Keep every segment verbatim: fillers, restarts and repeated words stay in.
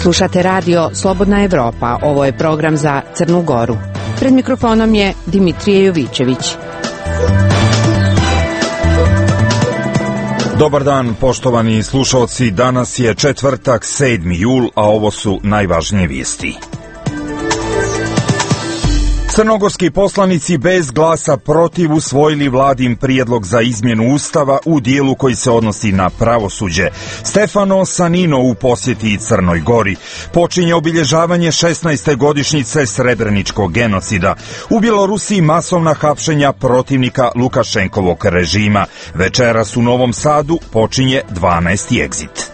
Slušate radio Slobodna Evropa. Ovo je program za Crnu Goru. Pred mikrofonom je Dimitrije Jovićević. Dobar dan, poštovani slušalci. Danas je četvrtak, sedmi jul, a ovo su najvažnije vijesti. Crnogorski poslanici bez glasa protiv usvojili vladin prijedlog za izmjenu ustava u dijelu koji se odnosi na pravosuđe. Stefano Sanino u posjeti Crnoj Gori. Počinje obilježavanje šesnaeste godišnjice Srebreničkog genocida. U Bjelorusiji masovna hapšenja protivnika Lukašenkovog režima. Večeras u Novom Sadu počinje dvanaesti egzit.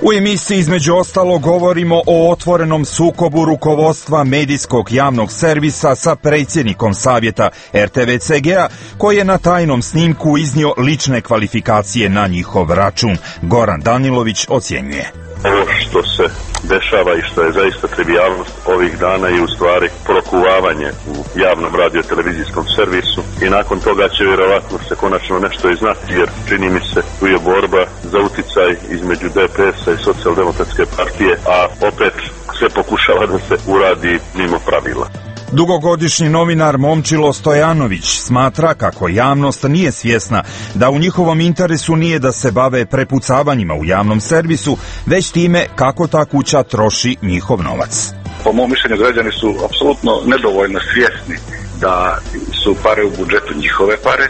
U emisiji između ostalo govorimo o otvorenom sukobu rukovodstva medijskog javnog servisa sa predsjednikom savjeta R T V C G-a koji je na tajnom snimku iznio lične kvalifikacije na njihov račun. Goran Danilović ocjenjuje. Ovo što se dešava i što je zaista trivijalnost ovih dana i u stvari prokuvavanje u javnom radio-televizijskom servisu i nakon toga će vjerovatno se konačno nešto i znati, jer čini mi se tu je borba za uticaj između D P S-a i Socijaldemokratske partije, a opet se pokušava da se uradi mimo pravila. Dugogodišnji novinar Momčilo Stojanović smatra kako javnost nije svjesna da u njihovom interesu nije da se bave prepucavanjima u javnom servisu, već time kako ta kuća troši njihov novac. Po mom mišljenju građani su apsolutno nedovoljno svjesni da su pare u budžetu njihove pare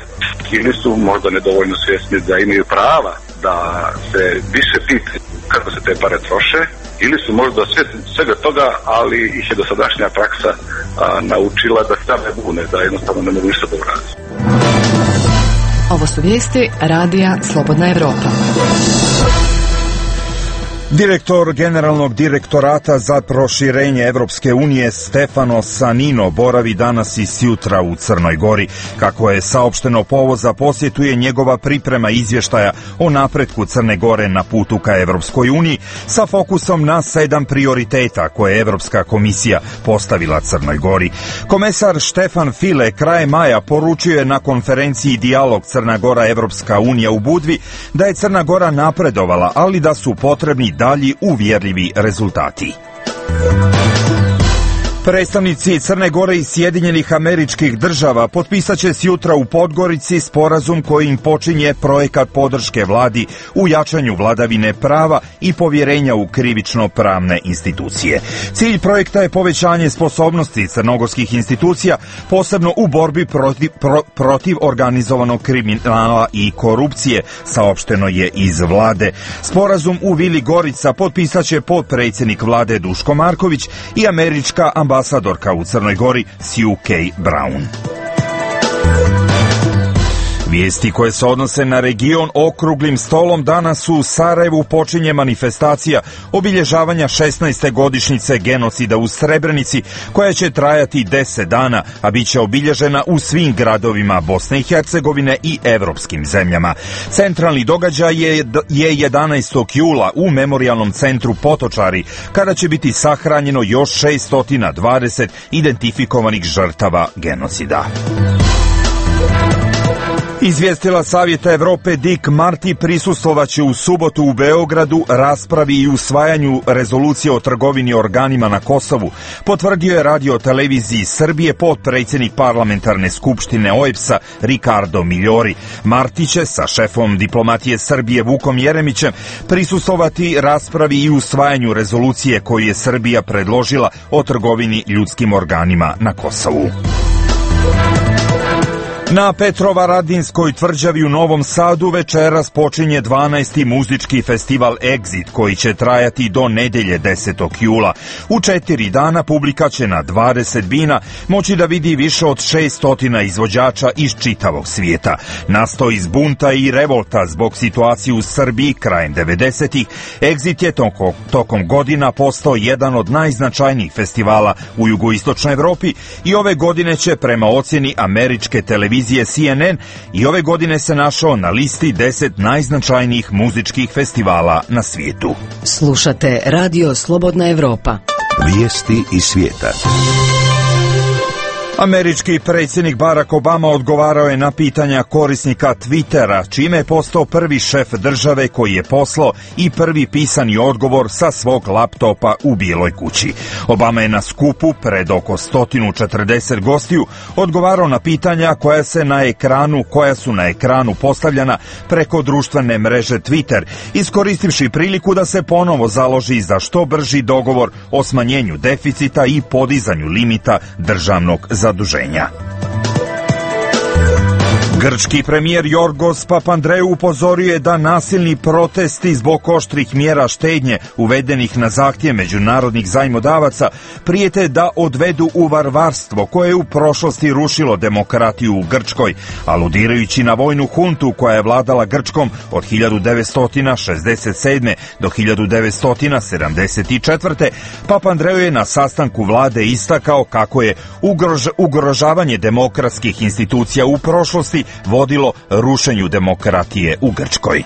ili su možda nedovoljno svjesni da imaju prava da se više pitaju kako se te pare troše, ili su možda svjesni svega toga, ali ih je dosadašnja praksa a, naučila da stave bune, da jednostavno ne mogu ništa da uradi. Ovo su vijesti radija Slobodna Evropa. Direktor Generalnog direktorata za proširenje Evropske unije Stefano Sanino boravi danas i sjutra u Crnoj Gori. Kako je saopšteno, povod za posjetu je njegova priprema izvještaja o napretku Crne Gore na putu ka Evropskoj uniji sa fokusom na sedam prioriteta koje je Evropska komisija postavila Crnoj Gori. Komesar Štefan File krajem maja poručio je na konferenciji Dijalog Crna Gora Evropska unija u Budvi da je Crna Gora napredovala, ali da su potrebni dalji uvjerljivi rezultati. Predstavnici Crne Gore i Sjedinjenih Američkih Država potpisat će sjutra u Podgorici sporazum kojim počinje projekat podrške vladi u jačanju vladavine prava i povjerenja u krivično-pravne institucije. Cilj projekta je povećanje sposobnosti crnogorskih institucija, posebno u borbi protiv, pro, protiv organizovanog kriminala i korupcije, saopšteno je iz vlade. Sporazum u Vili Gorica potpisat će potpredsjednik vlade Duško Marković i američka ambasadorka ambasadorka u Crnoj Gori Sue K. Brown. Vijesti koje se odnose na region okruglim stolom danas u Sarajevu počinje manifestacija obilježavanja šesnaeste godišnjice genocida u Srebrenici koja će trajati deset dana, a bit će obilježena u svim gradovima Bosne i Hercegovine i evropskim zemljama. Centralni događaj je, je jedanaestog jula u Memorijalnom centru Potočari, kada će biti sahranjeno još šesto dvadeset identifikovanih žrtava genocida. Izvijestila Savjeta Evrope Dick Marty prisustvovaće u subotu u Beogradu raspravi i usvajanju rezolucije o trgovini organima na Kosovu, potvrdio je radio televiziji Srbije potpredsjednik parlamentarne skupštine O E B S-a Ricardo Miljori. Marty će sa šefom diplomatije Srbije Vukom Jeremićem prisustvovati raspravi i usvajanju rezolucije koju je Srbija predložila o trgovini ljudskim organima na Kosovu. Na Petrovaradinskoj tvrđavi u Novom Sadu večeras počinje dvanaesti muzički festival Exit koji će trajati do nedelje desetog jula. U četiri dana publika će na dvadeset bina moći da vidi više od šesto izvođača iz čitavog svijeta. Nastao iz bunta i revolta zbog situacije u Srbiji krajem devedesetih, Exit je tokom, tokom godina postao jedan od najznačajnijih festivala u jugoistočnoj Evropi i ove godine će prema ocjeni američke televizije C N N i ove godine se našao na listi deset najznačajnijih muzičkih festivala na svijetu. Slušate Radio Slobodna Evropa. Vijesti iz svijeta. Američki predsjednik Barack Obama odgovarao je na pitanja korisnika Twittera, čime je postao prvi šef države koji je poslao i prvi pisani odgovor sa svog laptopa u Bijeloj kući. Obama je na skupu pred oko sto četrdeset gostiju odgovarao na pitanja koja se na ekranu, koja su na ekranu postavljena preko društvene mreže Twitter, iskoristivši priliku da se ponovo založi za što brži dogovor o smanjenju deficita i podizanju limita državnog zaduženja. Grčki premijer Jorgos Papandreou upozorio je da nasilni protesti zbog oštrih mjera štednje uvedenih na zahtjev međunarodnih zajmodavaca prijete da odvedu u varvarstvo koje je u prošlosti rušilo demokratiju u Grčkoj, aludirajući na vojnu huntu koja je vladala Grčkom od hiljadu devetsto šezdeset sedme do hiljadu devetsto sedamdeset četvrte. Papandreou je na sastanku vlade istakao kako je ugrož, ugrožavanje demokratskih institucija u prošlosti vodilo rušenju demokratije u Grčkoj.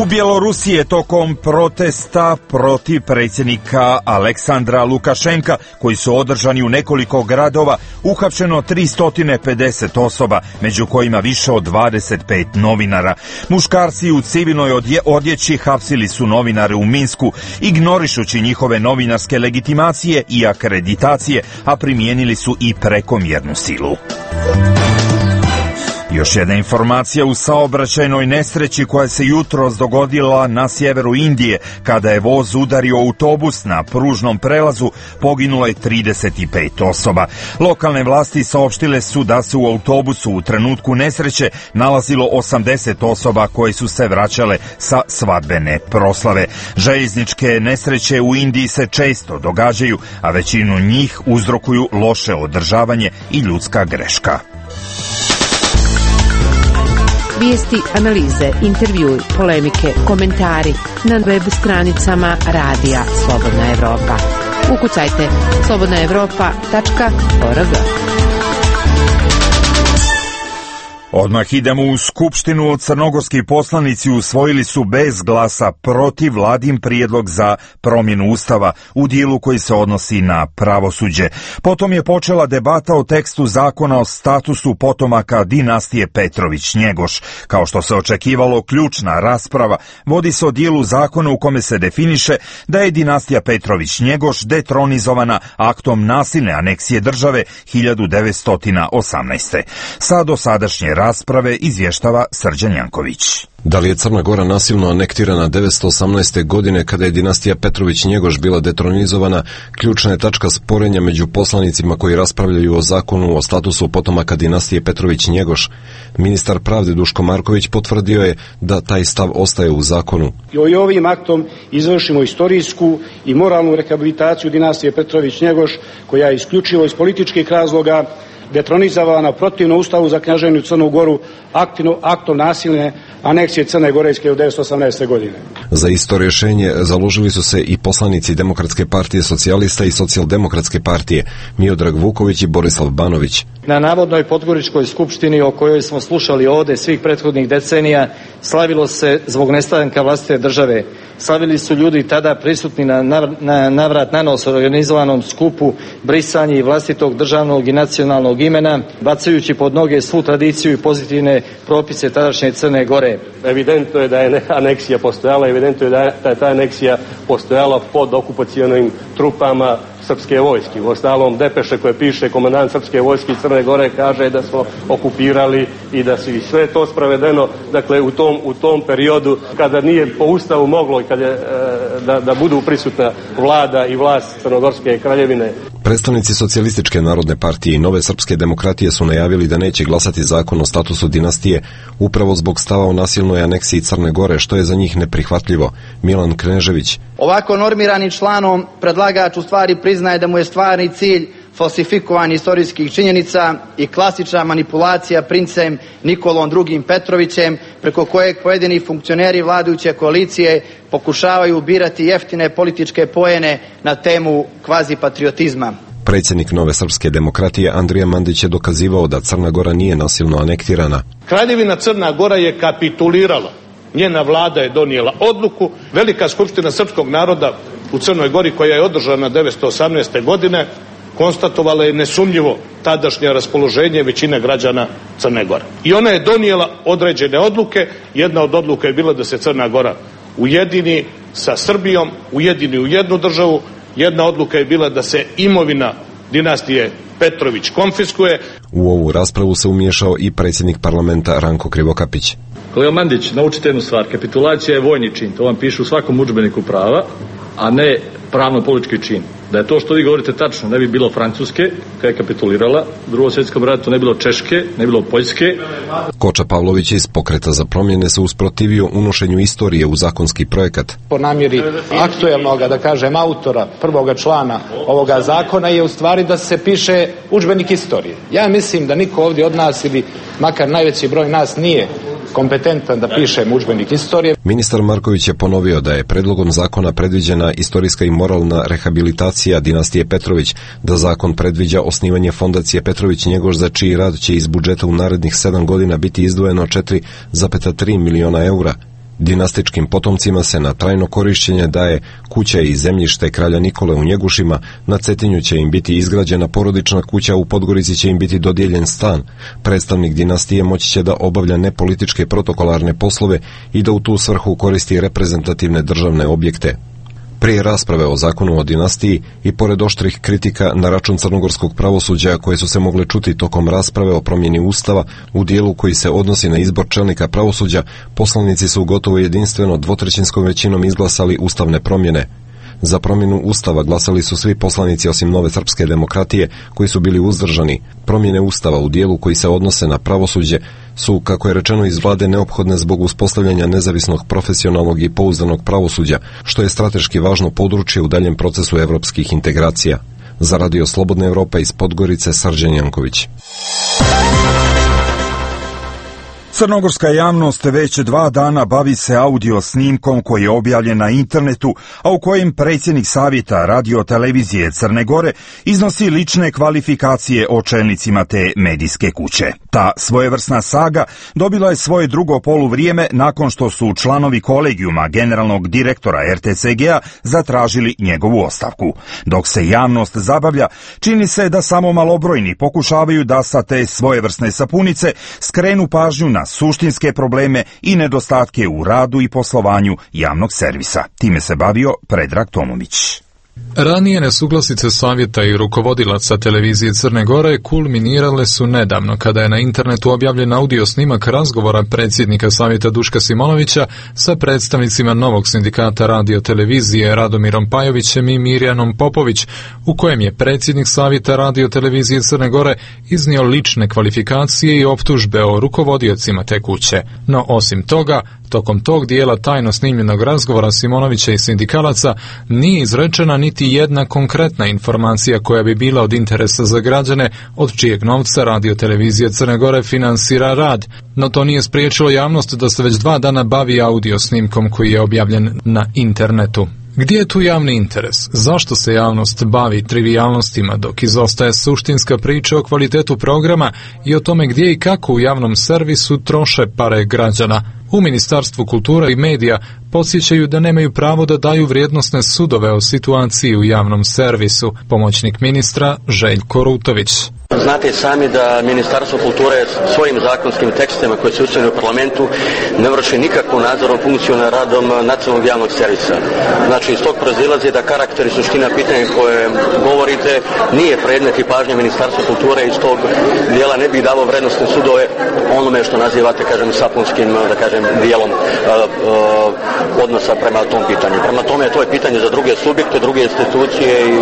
U Bjelorusiji je tokom protesta protiv predsjednika Aleksandra Lukašenka, koji su održani u nekoliko gradova, uhapšeno tristo pedeset osoba, među kojima više od dvadeset pet novinara. Muškarci u civilnoj odje, odjeći hapsili su novinare u Minsku, ignorišući njihove novinarske legitimacije i akreditacije, a primijenili su i prekomjernu silu. Još jedna informacija u saobraćajnoj nesreći koja se jutros dogodila na sjeveru Indije. Kada je voz udario autobus na pružnom prelazu, poginulo je trideset pet osoba. Lokalne vlasti saopštile su da se u autobusu u trenutku nesreće nalazilo osamdeset osoba koje su se vraćale sa svadbene proslave. Željezničke nesreće u Indiji se često događaju, a većinu njih uzrokuju loše održavanje i ljudska greška. Vijesti, analize, intervjui, polemike, komentari na web stranicama Radija Slobodna Evropa. Ukucajte slobodna evropa tačka org. Odmah idemo u Skupštinu. Crnogorski poslanici usvojili su bez glasa protiv vladin prijedlog za promjenu Ustava u dijelu koji se odnosi na pravosuđe. Potom je počela debata o tekstu zakona o statusu potomaka dinastije Petrović-Njegoš. Kao što se očekivalo, ključna rasprava vodi se o dijelu zakona u kome se definiše da je dinastija Petrović-Njegoš detronizovana aktom nasilne aneksije države hiljadu devetsto osamnaeste. Sa dosadašnje rasprave izvještava Srđan Janković. Da li je Crna Gora nasilno anektirana devetsto osamnaeste. godine kada je dinastija Petrović-Njegoš bila detronizovana, ključna je tačka sporenja među poslanicima koji raspravljaju o zakonu o statusu potomaka dinastije Petrović-Njegoš. Ministar pravde Duško Marković potvrdio je da taj stav ostaje u zakonu. I ovim aktom izvršimo istorijsku i moralnu rehabilitaciju dinastije Petrović-Njegoš, koja je isključivo iz političkih razloga detronizovana protivno Ustavu za Kneževinu Crnu Goru aktivno, aktom nasilne aneksije Crne Gore iz hiljadu devetsto osamnaeste. godine. Za isto rješenje založili su se i poslanici Demokratske partije socijalista i Socijaldemokratske partije Miodrag Vuković i Borislav Banović. Na navodnoj Podgoričkoj skupštini o kojoj smo slušali ovdje svih prethodnih decenija slavilo se zbog nestanka vlastite države. Slavili su ljudi tada prisutni na, na navrat nanos organizovanom skupu brisanje i vlastitog državnog i nacionalnog imena, bacajući pod noge svu tradiciju i pozitivne propise tadašnje Crne Gore. Evidentno je da je aneksija postojala, evidentno je da je ta aneksija postojala pod okupacionim trupama srpske vojske. U ostalom, depeše koje piše komandant srpske vojske Crne Gore kaže da smo okupirali i da su i sve to spravedeno, dakle u tom, u tom periodu kada nije po Ustavu moglo i kada, da, da budu prisutna vlada i vlast Crnogorske kraljevine. Predstavnici Socijalističke narodne partije i Nove srpske demokratije su najavili da neće glasati zakon o statusu dinastije upravo zbog stava o nasilnoj aneksiji Crne Gore, što je za njih neprihvatljivo. Milan Knežević. Ovako normirani članom predlagač u stvari priznaje da mu je stvarni cilj falsifikovanje istorijskih činjenica i klasična manipulacija princem Nikolom drugim. Petrovićem, preko kojeg pojedini funkcioneri vladajuće koalicije pokušavaju birati jeftine političke poene na temu kvazi patriotizma. Predsjednik Nove srpske demokratije Andrija Mandić je dokazivao da Crna Gora nije nasilno anektirana. Kraljevina Crna Gora je kapitulirala. Njena vlada je donijela odluku. Velika skupština srpskog naroda u Crnoj Gori, koja je održana devetsto osamnaeste. godine, konstatovala je nesumnjivo tadašnje raspoloženje većine građana Crne Gore. I ona je donijela određene odluke. Jedna od odluka je bila da se Crna Gora ujedini sa Srbijom, ujedini u jednu državu. Jedna odluka je bila da se imovina dinastije Petrović konfiskuje. U ovu raspravu se umiješao i predsjednik parlamenta Ranko Krivokapić. Kolega Mandić, naučite jednu stvar. Kapitulacija je vojni čin. To vam piše u svakom udžbeniku prava, a ne pravno-politički čin. Da je to što vi govorite tačno, ne bi bilo Francuske, koja je kapitulirala, u Drugom svjetskom ratu ne bilo Češke, ne bilo Poljske. Koča Pavlović iz Pokreta za promjene se usprotivio unošenju istorije u zakonski projekat. Po namjeri aktuelnog, da kažem, autora prvoga člana ovoga zakona je u stvari da se piše udžbenik istorije. Ja mislim da niko ovdje od nas ili makar najveći broj nas nije kompetentan da piše udžbenik istorije. Ministar Marković je ponovio da je predlogom zakona predviđena istorijska i moralna rehabilitacija dinastije Petrović, da zakon predviđa osnivanje fondacije Petrović Njegoš za čiji rad će iz budžeta u narednih sedam godina biti izdvojeno četiri zarez tri miliona eura. Dinastičkim potomcima se na trajno korišćenje daje kuća i zemljište kralja Nikole u Njegušima, na Cetinju će im biti izgrađena porodična kuća, u Podgorici će im biti dodijeljen stan. Predstavnik dinastije moći će da obavlja nepolitičke protokolarne poslove i da u tu svrhu koristi reprezentativne državne objekte. Prije rasprave o zakonu o dinastiji i pored oštrih kritika na račun crnogorskog pravosuđa koje su se mogle čuti tokom rasprave o promjeni Ustava u dijelu koji se odnosi na izbor čelnika pravosuđa, poslanici su gotovo jedinstveno dvotrećinskom većinom izglasali ustavne promjene. Za promjenu Ustava glasali su svi poslanici osim Nove srpske demokratije koji su bili uzdržani. Promjene Ustava u dijelu koji se odnose na pravosuđe su, kako je rečeno iz vlade, neophodne zbog uspostavljanja nezavisnog, profesionalnog i pouzdanog pravosuđa, što je strateški važno područje u daljem procesu evropskih integracija. Za Radio Slobodna Evropa iz Podgorice, Srđan Janković. Crnogorska javnost već dva dana bavi se audio snimkom koji je objavljen na internetu, a u kojem predsjednik Savjeta radio-televizije Crne Gore iznosi lične kvalifikacije o čelnicima te medijske kuće. Ta svojevrsna saga dobila je svoje drugo poluvrijeme nakon što su članovi kolegijuma generalnog direktora er te ce ge a zatražili njegovu ostavku. Dok se javnost zabavlja, čini se da samo malobrojni pokušavaju da sa te svojevrsne sapunice skrenu pažnju na suštinske probleme i nedostatke u radu i poslovanju javnog servisa. Time se bavio Predrag Tomović. Ranije nesuglasice savjeta i rukovodilaca televizije Crne Gore kulminirale su nedavno kada je na internetu objavljen audio snimak razgovora predsjednika savjeta Duška Simonovića sa predstavnicima novog sindikata radio-televizije Radomirom Pajovićem i Mirjanom Popović, u kojem je predsjednik savjeta radio-televizije Crne Gore iznio lične kvalifikacije i optužbe o rukovodiocima te kuće. No osim toga, tokom tog dijela tajno snimljenog razgovora Simonovića i sindikalaca nije izrečena niti jedna konkretna informacija koja bi bila od interesa za građane od čijeg novca radio-televizija Crne Gore finansira rad. No to nije spriječilo javnost da se već dva dana bavi audio snimkom koji je objavljen na internetu. Gdje je tu javni interes? Zašto se javnost bavi trivijalnostima dok izostaje suštinska priča o kvalitetu programa i o tome gdje i kako u javnom servisu troše pare građana? U Ministarstvu kulture i medija podsjećaju da nemaju pravo da daju vrijednosne sudove o situaciji u javnom servisu. Pomoćnik ministra Željko Rutović. Znate sami da Ministarstvo kulture svojim zakonskim tekstima koje se usvojene u parlamentu ne vrši nikakvu nadzorom funkciju nad radom nacionalnog javnog servisa. Znači iz tog proizilazi da karakter i suština pitanja koje govorite nije predmet i pažnje Ministarstva kulture, iz tog dijela ne bih davo vrednostne sudove onome što nazivate, kažem, sapunskim, da kažem, dijelom uh, uh, odnosa prema tom pitanju. Prema tome to je pitanje za druge subjekte, druge institucije i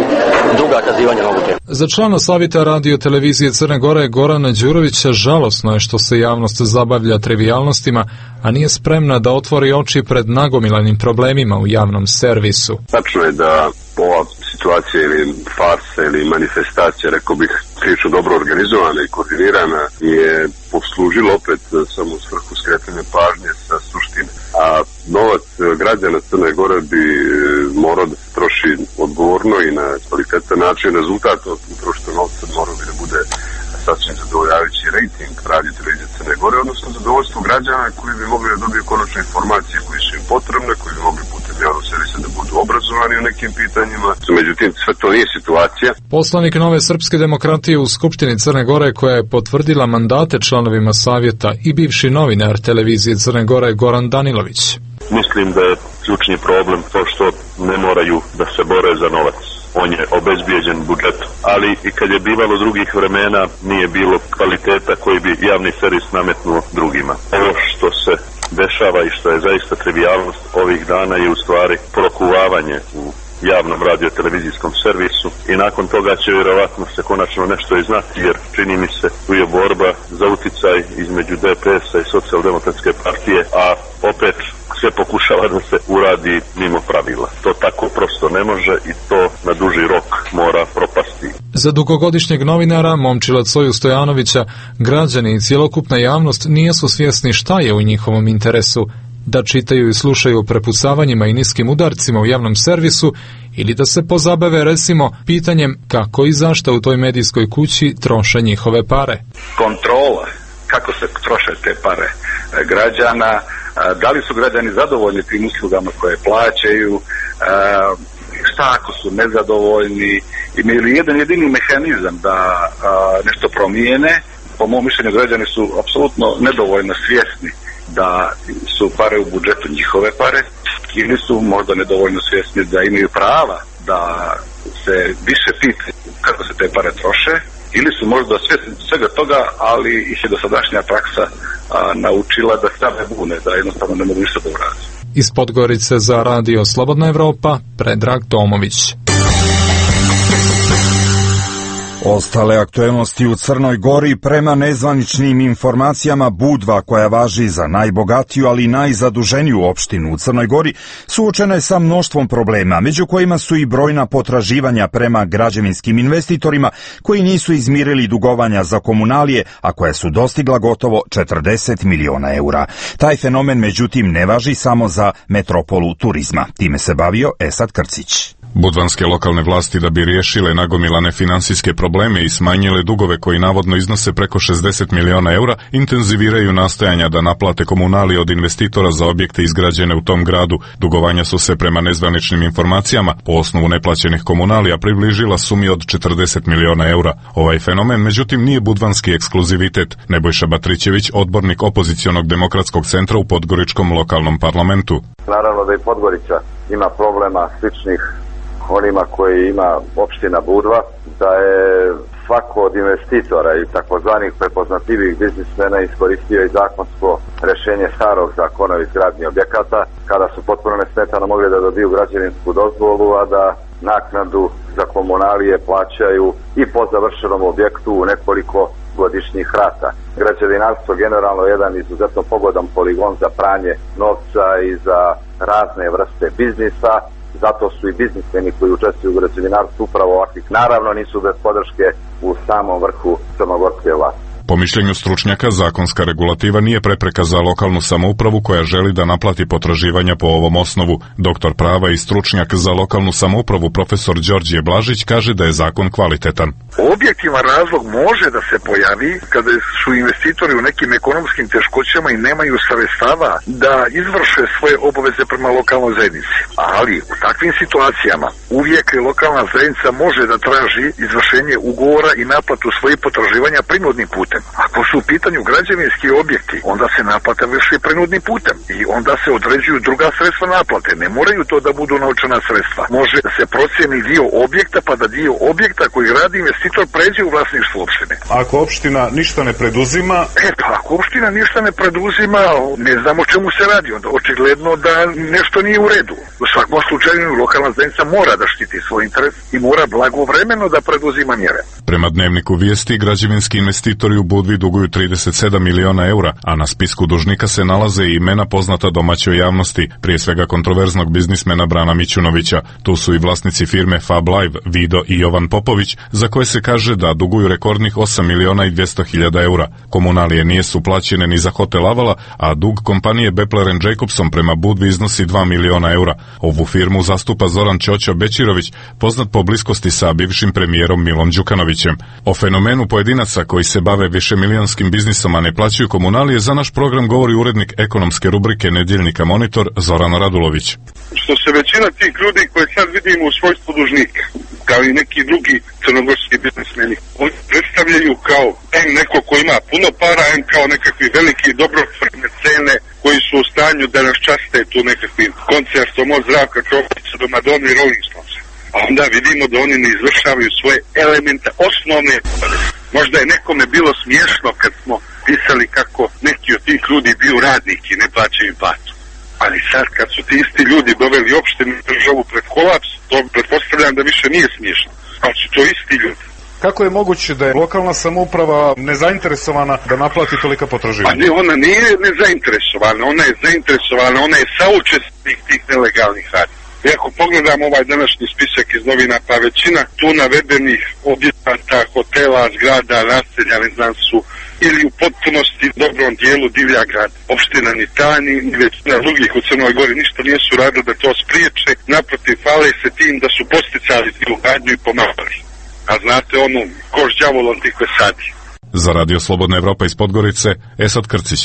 druga kazivanja na ovu temu. Za člana savjeta radio televizije Crne Gore Gorana Đurovića žalosno je što se javnost zabavlja trivijalnostima, a nije spremna da otvori oči pred nagomilanim problemima u javnom servisu. Tačno je da ova situacija ili farsa ili manifestacija, rekao bih, prilično dobro organizovana i koordinirana, je poslužila opet samo u svrhu skretanja pažnje sa suštine. A novac građana Crne Gore bi morao da se troši odgovorno i na kvalitetan način. Rezultat od utrošenog novca morao bi da bude sasvim zadovoljavajući rejting radio televizije Crne Gore, odnosno zadovoljstvo građana koji bi mogli da dobiju konačne informacije koje su im potrebne, koji bi mogli putem javnog servisa da budu obrazovani u nekim pitanjima. Međutim, sve to nije situacija. Poslanik Nove srpske demokratije u Skupštini Crne Gore, koja je potvrdila mandate članovima savjeta, i bivši novinar televizije Crne Gore Goran Danilović. Mislim da je ključni problem to što ne moraju da se bore za novac. On je obezbijeđen budžetom, ali i kad je bivalo drugih vremena nije bilo kvaliteta koji bi javni servis nametnuo drugima. Ovo što se dešava i što je zaista trivijalnost ovih dana je u stvari prokuvavanje u javnom radio-televizijskom servisu i nakon toga će vjerovatno se konačno nešto i znati, jer čini mi se tu je borba za uticaj između D P S-a i Socijaldemokratske partije, a opet sve pokušava da se uradi mimo pravila. To tako prosto ne može i to na duži rok mora propasti. Za dugogodišnjeg novinara Momčila Coju Stojanovića, građani i cjelokupna javnost nisu svjesni šta je u njihovom interesu, da čitaju i slušaju o prepucavanjima i niskim udarcima u javnom servisu ili da se pozabave recimo pitanjem kako i zašto u toj medijskoj kući troše njihove pare. Kontrola, kako se troše te pare građana, da li su građani zadovoljni tim uslugama koje plaćaju, šta ako su nezadovoljni, imaju li jedan jedini mehanizam da nešto promijene. Po mom mišljenju građani su apsolutno nedovoljno svjesni da su pare u budžetu njihove pare ili su možda nedovoljno svjesni da imaju prava da se više pitaju kako se te pare troše, ili su možda svjesni svega toga, ali ih je dosadašnja praksa a, naučila da same bune, da jednostavno ne mogu ništa da uradi. Iz Podgorice za radio Slobodna Evropa, Predrag Tomović. Ostale aktuelnosti u Crnoj Gori. Prema nezvaničnim informacijama, Budva, koja važi za najbogatiju, ali i najzaduženiju opštinu u Crnoj Gori, suočena je sa mnoštvom problema, među kojima su i brojna potraživanja prema građevinskim investitorima koji nisu izmirili dugovanja za komunalije, a koja su dostigla gotovo četrdeset miliona eura. Taj fenomen, međutim, ne važi samo za metropolu turizma. Time se bavio Esad Krcić. Budvanske lokalne vlasti, da bi riješile nagomilane finansijske probleme i smanjile dugove koji navodno iznose preko šezdeset miliona eura, intenziviraju nastojanja da naplate komunalije od investitora za objekte izgrađene u tom gradu. Dugovanja su se prema nezvaničnim informacijama po osnovu neplaćenih komunalija približila sumi od četrdeset miliona eura. Ovaj fenomen, međutim, nije budvanski ekskluzivitet. Nebojša Batrićević, odbornik opozicionog demokratskog centra u Podgoričkom lokalnom parlamentu. Naravno da i Podgorica ima problema sličnih onima koji ima opština Budva, da je svako od investitora i takozvanih prepoznatljivih biznismena iskoristio i zakonsko rješenje starog zakona o izgradnji objekata, kada su potpuno nesmetano mogli da dobiju građevinsku dozvolu, a da naknadu za komunalije plaćaju i po završenom objektu u nekoliko godišnjih rata. Građevinarstvo generalno je jedan izuzetno pogodan poligon za pranje novca i za razne vrste biznisa. Zato su i biznismeni koji učestvuju u građevinarstvu upravo ovakvih. Naravno nisu bez podrške u samom vrhu crnogorske vlasti. Po mišljenju stručnjaka, zakonska regulativa nije prepreka za lokalnu samoupravu koja želi da naplati potraživanja po ovom osnovu. Doktor prava i stručnjak za lokalnu samoupravu profesor Đorđe Blažić kaže da je zakon kvalitetan. Objektivan razlog može da se pojavi kada su investitori u nekim ekonomskim teškoćama i nemaju sredstava da izvrše svoje obaveze prema lokalnoj zajednici. Ali u takvim situacijama uvijek lokalna zajednica može da traži izvršenje ugovora i naplatu svojih potraživanja prinudnim putem. Ako su u pitanju građevinski objekti, onda se naplata vrši prinudnim putem i onda se određuju druga sredstva naplate. Ne moraju to da budu novčana sredstva. Može da se procijeni dio objekta, pa da dio objekta koji radi investitor pređe u vlasništvo opštine. Ako opština ništa ne preduzima... E pa, ako opština ništa ne preduzima, ne znamo čemu se radi. Onda očigledno da nešto nije u redu. U svakom slučaju lokalna zajednica mora da štiti svoj interes i mora blagovremeno da preduzima mjere. Prema Dnevniku vijesti, građevinski investitori u Budvi duguju trideset sedam miliona eura, a na spisku dužnika se nalaze i imena poznata domaćoj javnosti, prije svega kontroverznog biznismena Brana Mićunovića. Tu su i vlasnici firme Fab Live, Vido i Jovan Popović, za koje se kaže da duguju rekordnih osam miliona i dvjesto hiljada eura. Komunalije nisu plaćene ni za hotel Avala, a dug kompanije Bepler and Jacobson prema Budvi iznosi dva miliona eura. Ovu firmu zastupa Zoran Ćoćo Bećirović, poznat po bliskosti sa bivšim premijerom Milom Đukanovićem. O fenomenu pojedinaca koji se bave višemilionskim milionskim biznisom, a ne plaćaju komunalije, za naš program govori urednik ekonomske rubrike Nedjeljnika Monitor Zoran Radulović. Što se većina tih ljudi koje sad vidimo u svojstvu dužnika, kao i neki drugi crnogorski biznismeni, oni predstavljaju kao em neko ko ima puno para, em kao nekakvi veliki dobrotvorne cene koji su u stanju da nas časte tu nekakvim koncertom od Zdravka Čopića do Madone i Rolling Stonesa. A onda vidimo da oni ne izvršavaju svoje elementa, osnovne. Možda je nekome bilo smiješno kad smo pisali kako neki od tih ljudi bio radnik i ne plaćaju platu. Ali sad kad su ti isti ljudi doveli opštinu državu pred kolaps, to pretpostavljam da više nije smiješno. Ali su to isti ljudi. Kako je moguće da je lokalna samouprava nezainteresovana da naplati tolika potraživanja? Pa ne, ona nije nezainteresovana, ona je zainteresovana, ona je saučesnik tih nelegalnih radnji. I ako pogledamo ovaj današnji spisak iz novina, pa većina tu navedenih objekata, hotela, zgrada, naselja, ne znam, su ili u potpunosti dobrom dijelu divlja grad. Opština ni ta, ni većina drugih u Crnoj Gori ništa nisu radili da to spriječe, naprotiv, hvale se tim da su posticali tu gradnju i pomagali. A znate onu, koš đavolom tih vesadi. Za Radio Slobodna Evropa iz Podgorice, Esad Krcić.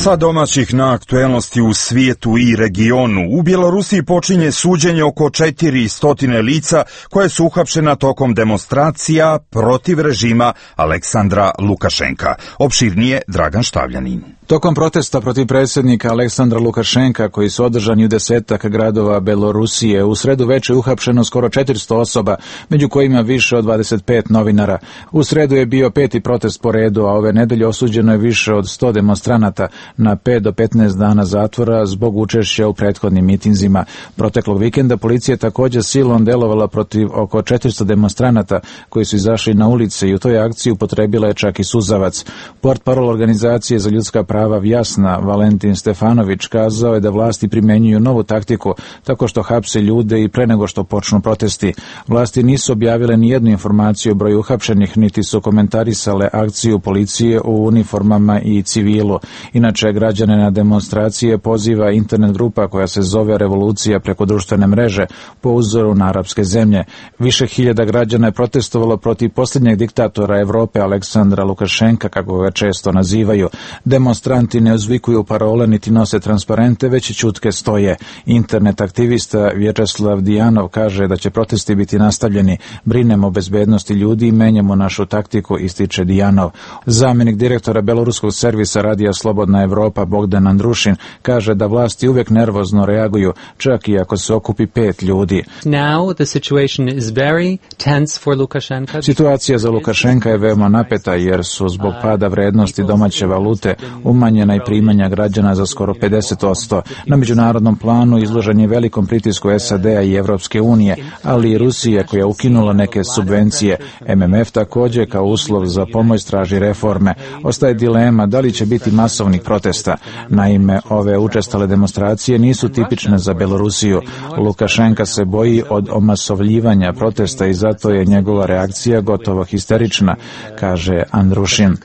Sa domaćih na aktuelnosti u svijetu i regionu, u Bjelorusiji počinje suđenje oko četiri stotine lica koje su uhapšena tokom demonstracija protiv režima Aleksandra Lukašenka. Opširnije Dragan Štavljanin. Tokom protesta protiv predsjednika Aleksandra Lukašenka, koji su održani u desetak gradova Belorusije, u sredu veče uhapšeno skoro četiristo osoba, među kojima više od dvadeset pet novinara. U sredu je bio peti protest po redu, a ove nedelje osuđeno je više od sto demonstranata na pet do petnaest dana zatvora zbog učešća u prethodnim mitinzima. Proteklog vikenda policija također silom delovala protiv oko četiristo demonstranata koji su izašli na ulice i u toj akciji upotrebila je čak i suzavac. Portparol organizacije za ljudska prava Vjasna, Valentin Stefanović, kazao je da vlasti primjenjuju novu taktiku tako što hapse ljude i pre nego što počnu protesti. Vlasti nisu objavile ni jednu informaciju o broju uhapšenih, niti su komentarisale akciju policije u uniformama i civilu. Inače, građane na demonstracije poziva internet grupa koja se zove Revolucija preko društvene mreže po uzoru na arapske zemlje. Više hiljada građana je protestovalo protiv posljednjeg diktatora Evrope Aleksandra Lukašenka, kako ga često nazivaju. Demonstranti ne uzvikuju parole niti nose transparente, već ćutke stoje. Internet aktivista Vječeslav Dijanov kaže da će protesti biti nastavljeni. Brinemo o bezbednosti ljudi i menjamo našu taktiku, ističe Dijanov. Zamjenik direktora beloruskog servisa Radija Slobodna Evropa Bogdan Andrušin kaže da vlasti uvijek nervozno reaguju, čak i ako se okupi pet ljudi. Now the situation is very tense for Lukashenka. Situacija za Lukašenka je veoma napeta jer su zbog pada vrednosti domaće valute umanjena i primanja građana za skoro pedeset posto. Na međunarodnom planu izložen je velikom pritisku S A D-a i Evropske unije, ali i Rusije koja ukinula neke subvencije. M M F također kao uslov za pomoć traži reforme. Ostaje dilema da li će biti masovnih protesta. Naime, ove učestale demonstracije nisu tipične za Belorusiju. Lukašenka se boji od omasovljivanja protesta i zato je njegova reakcija gotovo histerična, kaže Andrušin.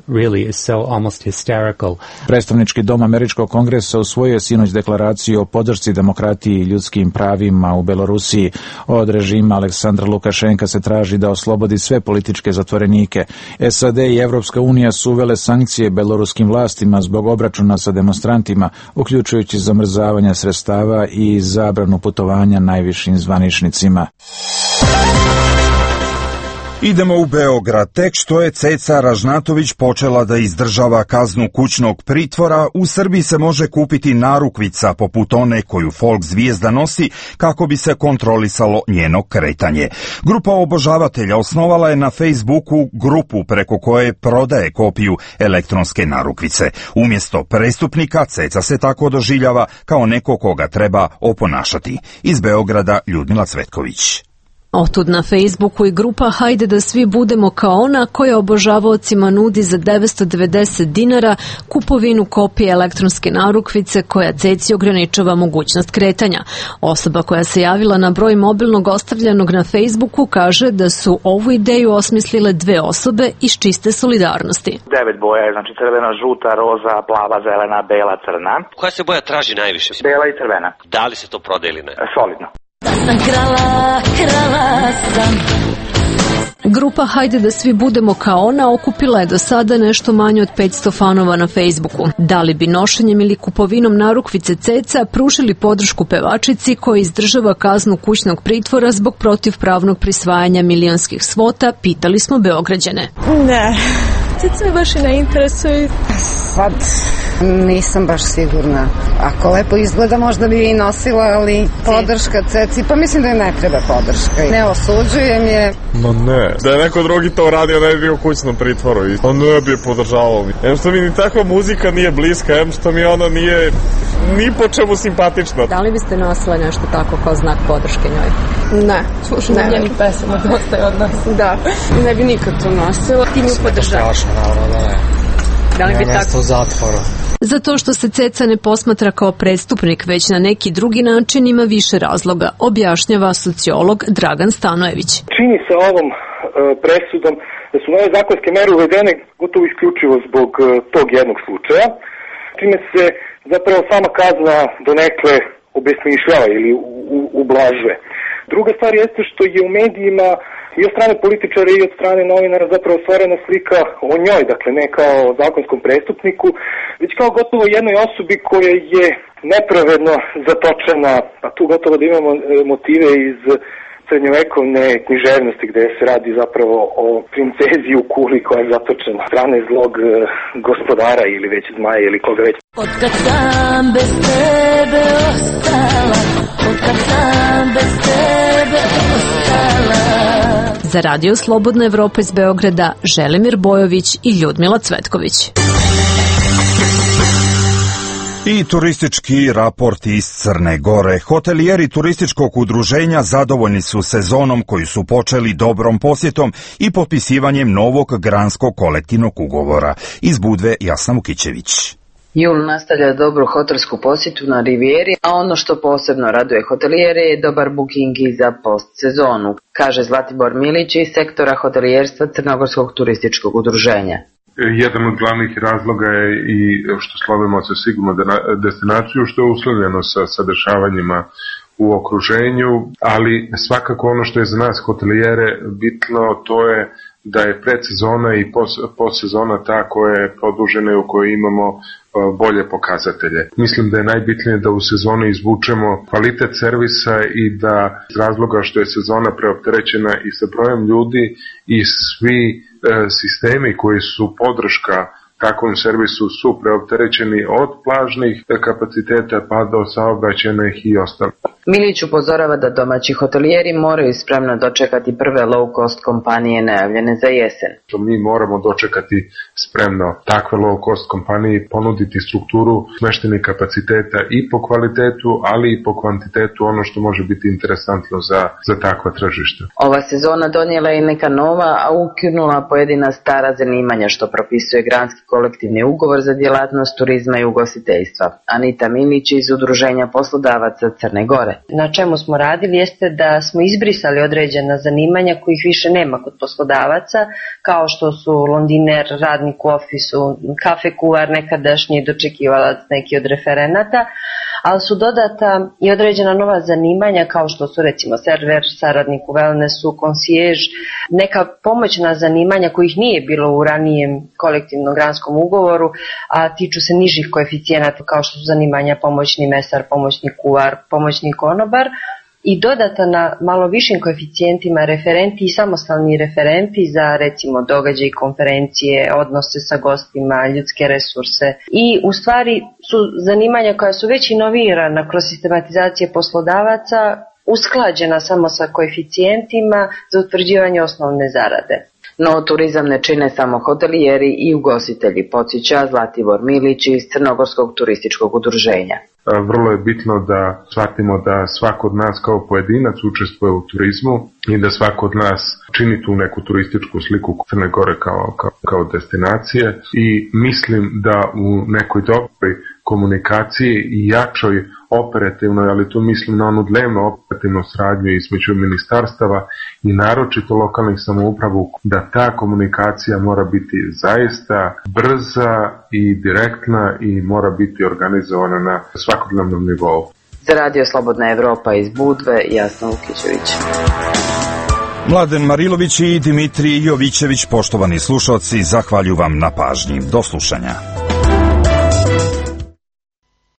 Really is so almost hysterical. Predstavnički dom Američkog kongresa usvojio je sinoć deklaraciju o podršci demokratiji i ljudskim pravima u Belorusiji. Od režima Aleksandra Lukašenka se traži da oslobodi sve političke zatvorenike. S A D i Evropska unija su uvele sankcije beloruskim vlastima zbog obračuna sa demonstrantima, uključujući zamrzavanje sredstava i zabranu putovanja najvišim zvaničnicima. Idemo u Beograd. Tek što je Ceca Ražnatović počela da izdržava kaznu kućnog pritvora, u Srbiji se može kupiti narukvica poput one koju folk zvijezda nosi kako bi se kontrolisalo njeno kretanje. Grupa obožavatelja osnovala je na Facebooku grupu preko koje prodaje kopiju elektronske narukvice. Umjesto prestupnika, Ceca se tako doživljava kao neko koga treba oponašati. Iz Beograda Ljudmila Cvetković. Otud na Facebooku i grupa Hajde da svi budemo kao ona koja obožavaocima nudi za devetsto devedeset dinara kupovinu kopije elektronske narukvice koja Ceci ograničava mogućnost kretanja. Osoba koja se javila na broj mobilnog ostavljenog na Facebooku kaže da su ovu ideju osmislile dve osobe iz čiste solidarnosti. Devet boja je, znači crvena, žuta, roza, plava, zelena, bela, crna. Koja se boja traži najviše? Bela i crvena. Da li se to prodaje ili ne? Solidno. sam krala, krala sam. Grupa Hajde da svi budemo kao ona okupila je do sada nešto manje od petsto fanova na Facebooku. Da li bi nošenjem ili kupovinom narukvice ceca pružili podršku pevačici koja izdržava kaznu kućnog pritvora zbog protivpravnog prisvajanja milionskih svota, pitali smo Beograđane. Ne, ceca me baš i ne interesuje. Sad nisam baš sigurna. Ako lepo izgleda, možda bi i nosila, ali podrška ceci, pa mislim da je ne treba podrška. Ne osuđujem je. Ma ne. Da je neko drugi to radio, da je bio u kućnom pritvoru. A ne bi je podržavao. Em što mi ni takva muzika nije bliska, em što mi ona nije ni po čemu simpatična. Da li biste nosila nešto tako kao znak podrške njoj? Ne. Slušam ne, njenih pesama, dosta je od nas. Da. Ne bi nikad to nosila. Ti nju podržavaš. Strašno, naravno da ne. Da li bi tako? U zatvoru. Zato što se ceca ne posmatra kao prestupnik, već na neki drugi način ima više razloga, objašnjava sociolog Dragan Stanojević. Čini se ovom e, presudom da su nove zakonske mere uvedene gotovo isključivo zbog e, tog jednog slučaja, čime se zapravo sama kazna donekle obesmišljava ili ublažuje. Druga stvar jeste što je u medijima i od strane političara i od strane novinara zapravo stvorena slika o njoj, dakle ne kao zakonskom prestupniku, već kao gotovo jednoj osobi koja je nepravedno zatočena, a tu gotovo da imamo motive iz srednjovekovne književnosti gde se radi zapravo o princezi u kuli koja je zatočena strane zlog gospodara ili već zmaja ili koga već. Otkad sam bez tebe ostala, otkad sam bez tebe ostala. Za Radio Slobodna Evropa iz Beograda, Želimir Bojović i Ljudmila Cvetković. I turistički raport iz Crne Gore. Hotelijeri turističkog udruženja zadovoljni su sezonom koju su počeli dobrom posjetom i potpisivanjem novog granskog kolektivnog ugovora. Iz Budve Jasna Mukićević. Jul nastavlja dobru hotelsku posjetu na Rivijeri, a ono što posebno raduje hotelijere je dobar booking i za postsezonu, kaže Zlatibor Milić iz sektora hotelijerstva Crnogorskog turističkog udruženja. Jedan od glavnih razloga je i što slovimo se sigurno destinaciju, što je uslovljeno sa, sa dešavanjima u okruženju, ali svakako ono što je za nas hotelijere bitno, to je da je predsezona i postsezona ta koja je produžena i u kojoj imamo bolje pokazatelje. Mislim da je najbitnije da u sezoni izvučemo kvalitet servisa i da iz razloga što je sezona preopterećena i sa brojem ljudi i svi e, sistemi koji su podrška takvom servisu su preopterećeni od plažnih kapaciteta pa do saobraćajnih i ostalih. Milić upozorava da domaći hotelijeri moraju spremno dočekati prve low-cost kompanije najavljene za jesen. Mi moramo dočekati spremno takve low-cost kompanije, ponuditi strukturu smeštenih kapaciteta i po kvalitetu, ali i po kvantitetu, ono što može biti interesantno za, za takva tržišta. Ova sezona donijela je neka nova, a ukinula pojedina stara zanimanja što propisuje granski kolektivni ugovor za djelatnost turizma i ugostiteljstva. Anita Milić iz Udruženja poslodavaca Crne Gore. Na čemu smo radili jeste da smo izbrisali određena zanimanja kojih više nema kod poslodavaca, kao što su londiner, radnik u ofisu, kafe kuvar, nekadašnji dočekivalac neki od referenata, ali su dodata i određena nova zanimanja kao što su recimo server, saradnik u wellnessu, konsijež, neka pomoćna zanimanja kojih nije bilo u ranijem kolektivnom granskom ugovoru, a tiču se nižih koeficijenata kao što su zanimanja pomoćni mesar, pomoćni kuvar, pomoćni konobar, i dodata na malo višim koeficijentima referenti i samostalni referenti za recimo događaj, konferencije, odnose sa gostima, ljudske resurse. I u stvari su zanimanja koja su već inovirana kroz sistematizacije poslodavaca usklađena samo sa koeficijentima za utvrđivanje osnovne zarade. No, turizam ne čine samo hotelijeri i ugostitelji, podsjeća Zlatibor Milić iz Crnogorskog turističkog udruženja. Vrlo je bitno da shvatimo da svako od nas kao pojedinac učestvuje u turizmu i da svako od nas čini tu neku turističku sliku Crne Gore kao, kao, kao destinacije i mislim da u nekoj dobroj komunikaciji i jačoj operativnoj, ali tu mislim na onu dnevno operativnu saradnju između ministarstava i naročito lokalnih samouprava, da ta komunikacija mora biti zaista brza i direktna i mora biti organizovana na svakodnevnom nivou. Za Radio Slobodna Evropa iz Budve, Jasna Lukićević. Mladen Marilović i Dimitrij Jovićević, poštovani slušalci, zahvaljujem vam na pažnji. Do slušanja.